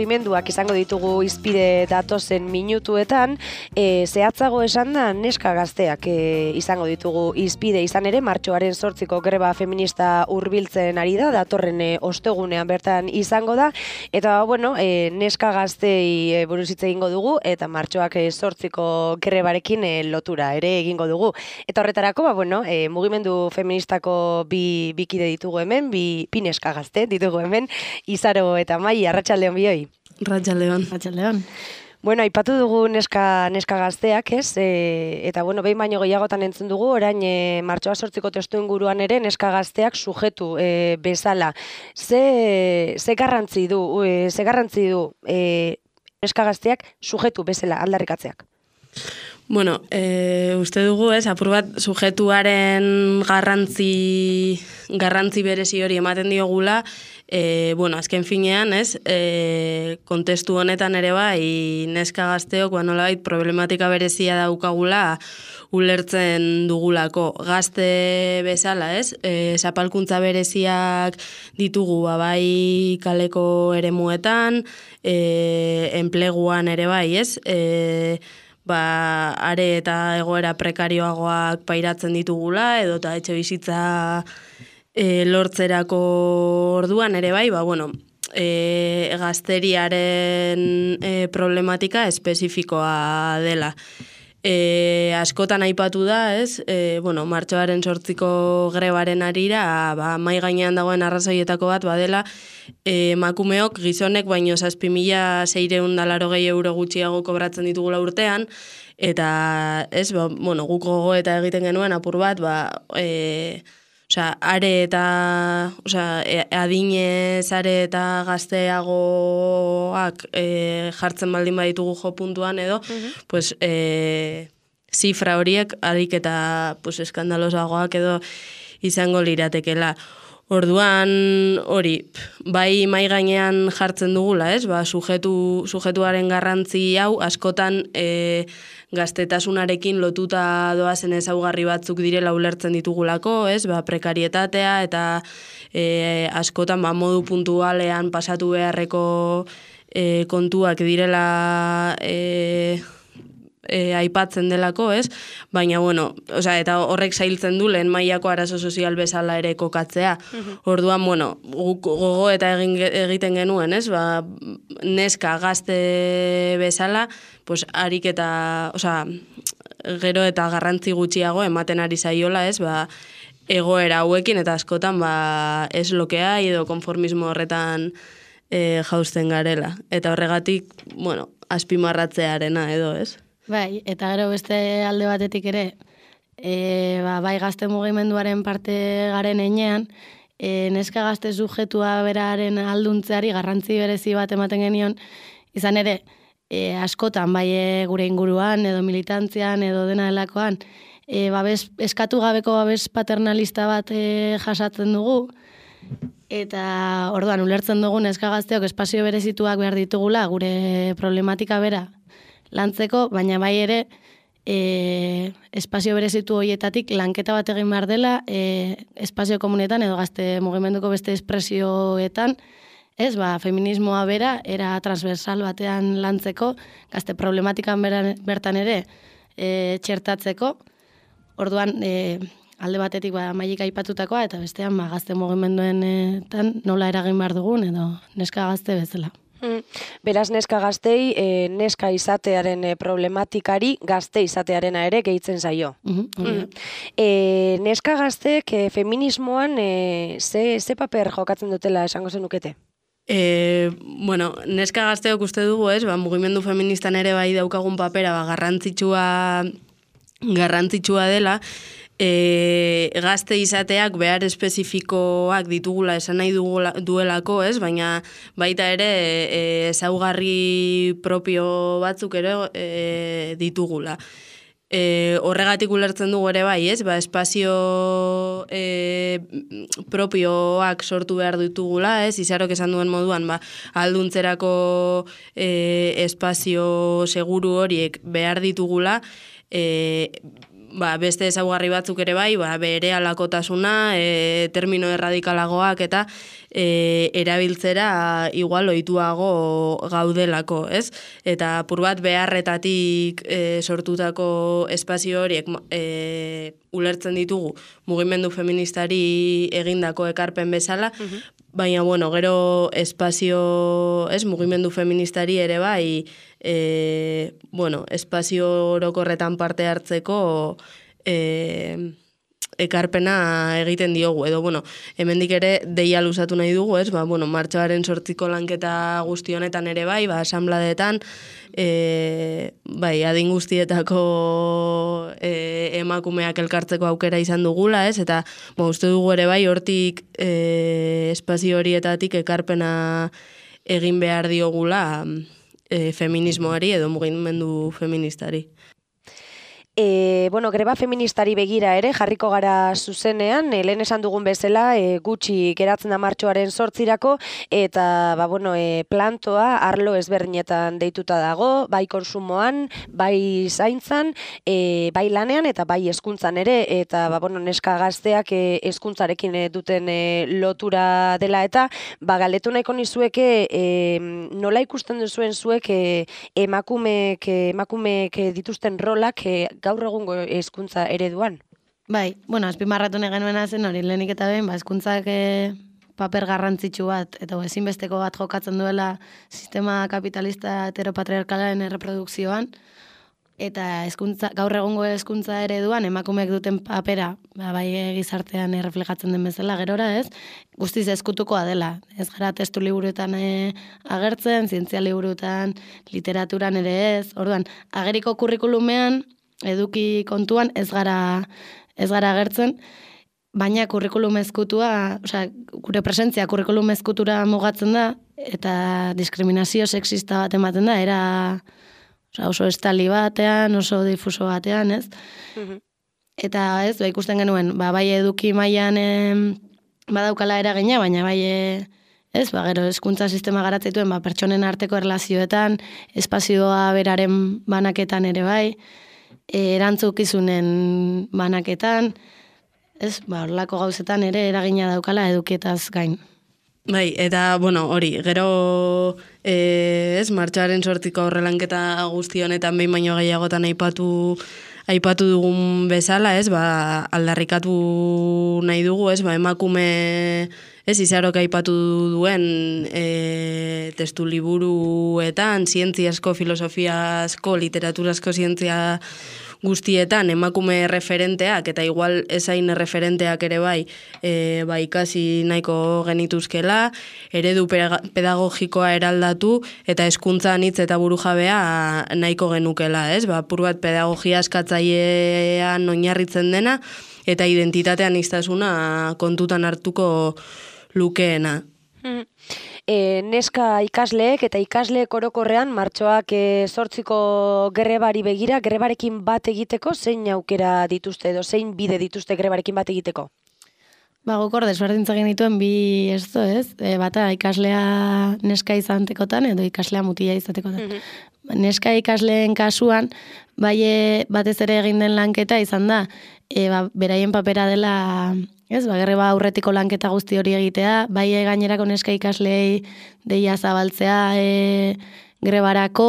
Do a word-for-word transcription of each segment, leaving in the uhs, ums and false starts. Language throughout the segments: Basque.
mugimenduak izango ditugu hizpide datozen minutuetan, e, zehatzago esan da neska gazteak e, izango ditugu hizpide izan ere, martxoaren zortziko greba feminista hurbiltzen ari da, datorren e, ostegunean bertan izango da, eta bueno, e, neska gaztei e, buruz hitz egingo dugu, eta martxoak e, zortziko grebarekin e, lotura ere egingo dugu. Eta horretarako, ba, bueno, e, mugimendu feministako bi bikide ditugu hemen, bi, bi neska gazte ditugu hemen, Izaro eta Mai, arratsaldeon bioi. Arratsaldeon. Arratsaldeon. Bueno, aipatu dugu neska, neska gazteak, ez? E, eta, bueno, behin baino gehiagotan entzun dugu, orain e, martxoa sortziko testu inguruan ere neska gazteak sujetu e, bezala. Ze, ze garrantzi du, e, ze garrantzi du e, neska gazteak sujetu bezala aldarrikatzeak? Bueno, e, uste dugu, ez, apur bat sujetuaren garrantzi, garrantzi berezi hori ematen diogula, e, bueno, azken finean, ez, e, kontestu honetan ere bai, neska gazteok, ba, nolabait problematika berezia daukagula ulertzen dugulako. Gazte bezala, ez, e, zapalkuntza bereziak ditugu, ba, bai kaleko eremuetan, e, enpleguan ere bai, ez, e, ba, are eta egoera prekarioagoak pairatzen ditugula, edo eta etxe bizitza e, lortzerako orduan ere bai, ba, bueno, e, gazteriaren e, problematika espezifikoa dela. E, askotan aipatu da, ez, e, bueno, martxoaren sortziko grebaren arira, ba, mai gainean dagoen arrazoietako bat badela, e, emakumeok gizonek baino zazpi mila seiehun eta laurogei euro gutxiago kobratzen ditugula urtean, eta, ez, ba, bueno, guk gogo eta egiten genuen apur bat, ba, e, osea, are eta, osea, adinez are eta gazteagoak e, jartzen baldin baditugu jo puntuan edo, uh-huh. pues, e, zifra horiek harik eta pues, eskandalosagoak edo izango liratekela. Orduan hori, bai mai gainean jartzen dugula, ez? Ba, sujetu, sujetuaren garrantzi hau askotan e, gaztetasunarekin lotuta doazen ezaugarri batzuk direla ulertzen ditugulako, ez? Ba, prekarietatea eta e, askotan ba, modu puntualean pasatu beharreko e, kontuak direla e, E, aipatzen delako, ez? Baina, bueno, osea, eta horrek zailtzen du lehen mailako arazo sozial bezala ere kokatzea. Uh-huh. Orduan, bueno, gogo eta egin, egiten genuen, ez? Ba, neska gazte bezala, pues, harik eta, osea, gero eta garrantzi gutxiago ematen ari zaiola, ez? Ba, egoera hauekin eta askotan, ba, ez lokea edo konformismo horretan e, jausten garela. Eta horregatik, bueno, azpimarratzearena edo, ez? Bai, eta gero beste alde batetik ere, e, ba, bai gazte mugimenduaren parte garen enean, e, neska gazte sujetua beraren alduntzeari garrantzi berezi bat ematen genion, izan ere, e, askotan, bai e, gure inguruan, edo militantzian, edo dena delakoan, e, babes, eskatu gabeko babes paternalista bat e, jasatzen dugu, eta orduan ulertzen dugu neska gazteok espazio berezituak behar ditugula, gure problematika bera, lantzeko, baina bai ere e, espazio berezitu horietatik lanketa bat egin behar dela e, espazio komunetan edo gazte mugimenduko beste espresioetan, ez, ba, feminismoa bera, era transversal batean lantzeko, gazte problematikan beran, bertan ere e, txertatzeko, orduan e, alde batetik ba, Maik aipatutakoa, eta bestean ba, gazte mugimenduenetan nola eragin behar dugun, edo neska gazte bezala. Beraz, neska gaztei, e, neska izatearen e, problematikari gazte izatearena ere gehitzen zaio. Uh-huh, uh-huh. E, neska gaztek e, feminismoan e, ze, ze paper jokatzen dutela esango zenukete? E, bueno, neska gazteok uste dugu, ez, ba, mugimendu feministan ere bai daukagun papera, ba, garrantzitsua, garrantzitsua dela, E, gazte izateak behar espezifikoak ditugula esan nahi dugula, duelako, ez? Baina baita ere ezaugarri e, propio batzuk ere e, ditugula. E, horregatik ulertzen dugu ere bai, ez? Ba, espazio e, propioak sortu behar ditugula, ez? Izarok esan duen moduan, ba, alduntzerako e, espazio seguru horiek behar ditugula, e, ba, beste ezaugarri batzuk ere bai, ba, bere alakotasuna, e, termino erradikalagoak eta e, erabiltzera igual ohituago gaudelako, ez? Eta apur bat beharretatik e, sortutako espazio horiek e, ulertzen ditugu mugimendu feministari egindako ekarpen bezala, uh-huh. Baina, bueno, gero espazio, ez, mugimendu feministari ere bai, e, bueno, espazio orokorretan parte hartzeko e, ekarpena egiten diogu, edo, bueno, hemendik ere deia luzatu nahi dugu, ez, ba, bueno, martxoaren sortziko lanketa guzti honetan ere bai, ba, asanbladetan, e, bai, adin guztietako e, emakumeak elkartzeko aukera izan dugula, ez, eta, ba, uste dugu ere bai, hortik e, espazio horietatik ekarpena egin behar diogula e, feminismoari edo mugimendu feministari. E, bueno, greba feministari begira ere, jarriko gara zuzenean, e, lehen esan dugun bezala, e, gutxi geratzen da martxoaren sortzirako, eta ba, bueno, e, plantoa arlo ezberdinetan deituta dago, bai konsumoan, bai zaintzan, e, bai lanean eta bai hezkuntzan ere, eta ba, bueno, neska gazteak e, hezkuntzarekin e, duten e, lotura dela, eta ba, galetu nahiko nizueke e, nola ikusten duzuen zuek e, emakumeek, emakumeek dituzten rolak e, gaur egungo hezkuntza ereduan? Bai, bueno, azpimarratu nahi genuena zen hori lehenik eta behin, ba, hezkuntzak e, paper garrantzitsu bat, eta ezinbesteko bat jokatzen duela sistema kapitalista heteropatriarkalaren erreprodukzioan, eta hezkuntza, gaur egungo hezkuntza ereduan emakumeek duten papera, ba, bai gizartean erreflejatzen den bezala gerora, ez? Guztiz ezkutukoa dela. Ez gara testu liburuetan e, agertzen, zientzia liburuetan, literaturan ere ez. Orduan, ageriko kurrikulumean eduki kontuan ez gara ez gara agertzen, baina kurrikulum ezkutua, osea, gure presentzia kurrikulum ezkutura mugatzen da eta diskriminazio sexista bat ematen da, era osea, oso estali batean, oso difuso batean, ez? Uh-huh. Eta ez, ba, ikusten genuen, ba, bai eduki mailan eh, badaukala eragina, baina bai eh, ez, ba, gero hezkuntza sistema garatzituen ba, pertsonen arteko erlazioetan, espazioa beraren banaketan ere bai, erantzukizunen banaketan, ez, ba, horlako gauzetan ere eragina daukala edukietaz gain. Bai, eta, bueno, hori, gero, e, ez, martxoaren sortiko horrelanketa guzti honetan behin baino gehiagotan aipatu aipatu dugun bezala, ez, ba, aldarrikatu nahi dugu, ez, ba, emakume, ez, izarok aipatu duen e, testu liburuetan, zientziasko, filosofiasko, literaturasko zientzia guztietan emakume referenteak, eta igual ezain referenteak ere bai, e, ba, ikasi nahiko genituzkela, eredu pedagogikoa eraldatu, eta hezkuntza anitz eta burujabea nahiko genukela, ez? Ba, pur bat pedagogia eskatzailean oinarritzen dena, eta identitatean aniztasuna kontutan hartuko lukeena. Mm. E, neska ikasleek eta ikasleek orokorrean martxoak e, sortziko grebari begira, grebarekin bat egiteko zein aukera dituzte edo zein bide dituzte grebarekin bat egiteko? Ba, gukor desberdintzen genituen bi ez do, ez? E, bata ikaslea neska izantekotan edo ikaslea mutila izatekotan. Mm-hmm. Neska ikasleen kasuan, bai batez ere egin den lanketa izan da, e, ba, beraien papera dela... Ez, ba, greba aurretiko lanketa guzti hori egitea, bai gainerako neska ikaslei deia zabaltzea e, grebarako,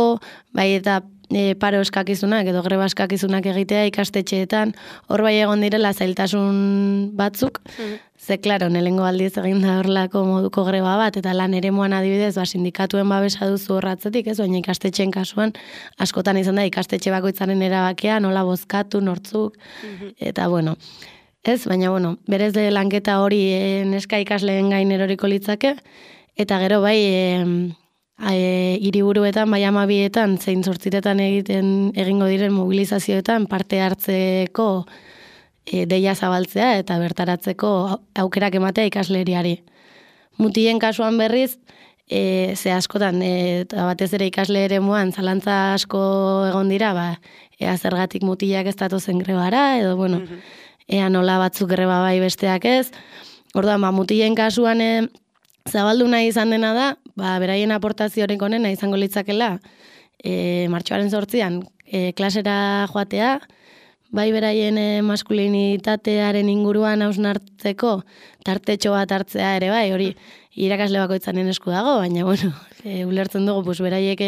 bai eta e, paro eskakizunak edo greba eskakizunak egitea ikastetxeetan, hor bai egon direla zailtasun batzuk, mm. Ze, klaro, nelengo aldiz egin da horlako moduko greba bat, eta lan eremuan adibidez, ba, sindikatuen babesa duzu horratzetik, ez, baina ikastetxeen kasuan, askotan izan da ikastetxe bakoitzaren erabakia, nola bozkatu, nortzuk, mm-hmm. Eta, bueno, ez, baina, bueno, berez de lanketa hori e, neska ikasleen gain eroriko litzake, eta gero bai e, e, hiriburuetan, bai amabietan, zein zortzitetan egiten egingo diren mobilizazioetan parte hartzeko e, deia zabaltzea eta bertaratzeko aukerak ematea ikasleriari. Mutien kasuan berriz, e, ze askotan, e, eta batez ere ikasle eremuan zalantza asko egon dira, ba, ea zergatik mutilak ez datozen grebara, edo, bueno, mm-hmm. Ea nola batzuk greba bai besteak ez. Orduan, ba, mutilen kasuan e, zabaldu nahi izan dena da, ba, beraien aportazioaren onena izango litzakela, e, martxoaren zortzian, e, klasera joatea, bai beraien e, maskulinitatearen inguruan hausnartzeko tartetxo bat hartzea ere bai, hori irakasle bakoitzanen esku dago, baina bueno, e, ulertzen dugu pues, beraiek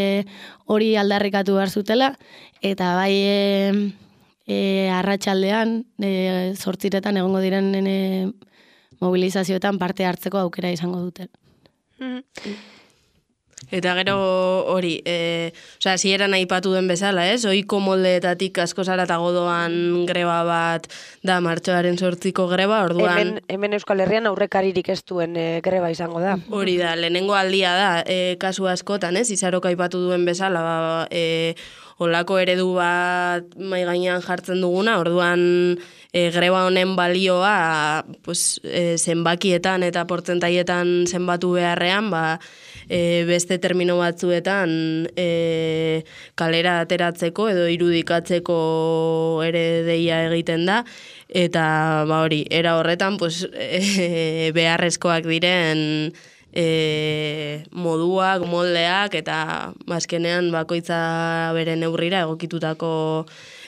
hori aldarrikatu behar zutela, eta bai e, e, arratsaldean e, zortziretan egongo diren e, mobilizazioetan parte hartzeko aukera izango dute. Mm-hmm. Eta gero hori, e, osea, zieran aipatu den bezala, ez? Oiko moldeetatik asko zaratago doan greba bat da martxoaren sortziko greba, orduan... Hemen, hemen Euskal Herrian aurrekaririk ez duen e, greba izango da. Hori da, lehenengo aldia da, e, kasu askotan, ez? Izarok aipatu duen bezala, ba, e, olako eredu bat mai gainean jartzen duguna, orduan e, greba honen balioa pues, e, zenbakietan eta portzentaietan zenbatu beharrean, ba, e, beste termino batzuetan e, kalera ateratzeko edo irudikatzeko ere deia egiten da, eta ba, hori, era horretan pues, e, beharrezkoak diren E, moduak, moldeak eta azkenean bakoitza bere neurrira egokitutako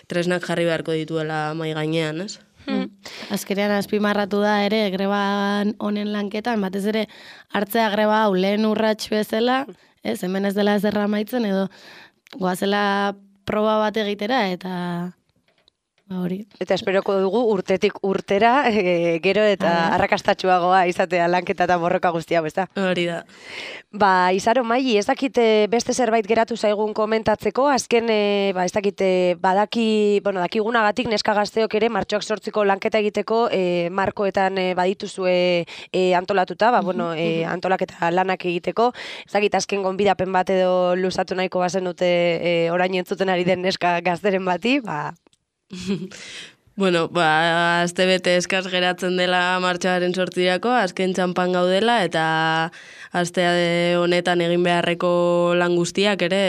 tresnak jarri beharko dituela mai gainean, ez? Hmm. Azkenean azpimarratu da ere greban honen lanketan, batez ere hartzea greba hau lehen urrats bezala, ez, hemen ez dela ezerra amaitzen edo goazela proba bat egitera eta hori. Eta esperoko dugu urtetik urtera, e, gero eta arrakastatxuagoa izatea lanketa eta borroka guztia, bezta? Hori da. Ba, Izaro Maili, ez dakite beste zerbait geratu zaigun komentatzeko, azken, e, ba, ez dakite badaki, bueno, dakigunagatik neska gazteok ere martxoak sortziko lanketa egiteko e, markoetan e, badituzue e, antolatuta, ba, bueno, e, antolaketa lanak egiteko, ez dakit azken gonbidapen bat edo luzatu nahiko bazen dute e, orain entzuten ari den neska gazteren bati, ba, Bueno, ba, azte bete eskaz geratzen dela martxoaren sortzirako, azken txampan gaudela, eta aztea honetan egin beharreko lan guztiak ere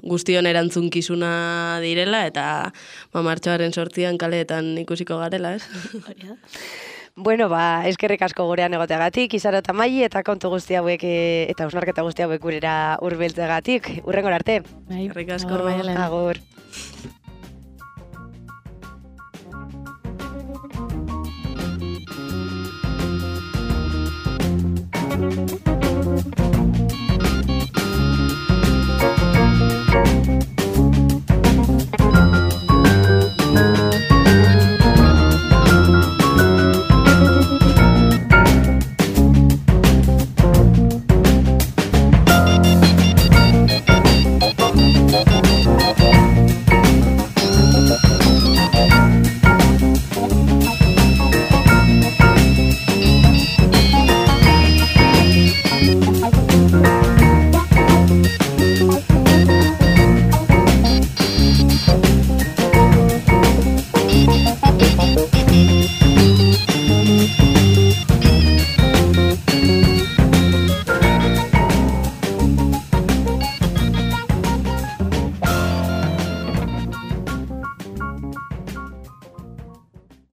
guztion erantzunkizuna direla, eta ba, martxoaren sortzian kaleetan ikusiko garela, ez? Bueno, ba, eskerrik asko gurean egoteagatik, Izaro eta Maili, eta kontu guzti hauek eta hausnarketa guzti hauek gurera hurbiltzeagatik. Hurrengora arte. Bai, eskerrik asko. Agur.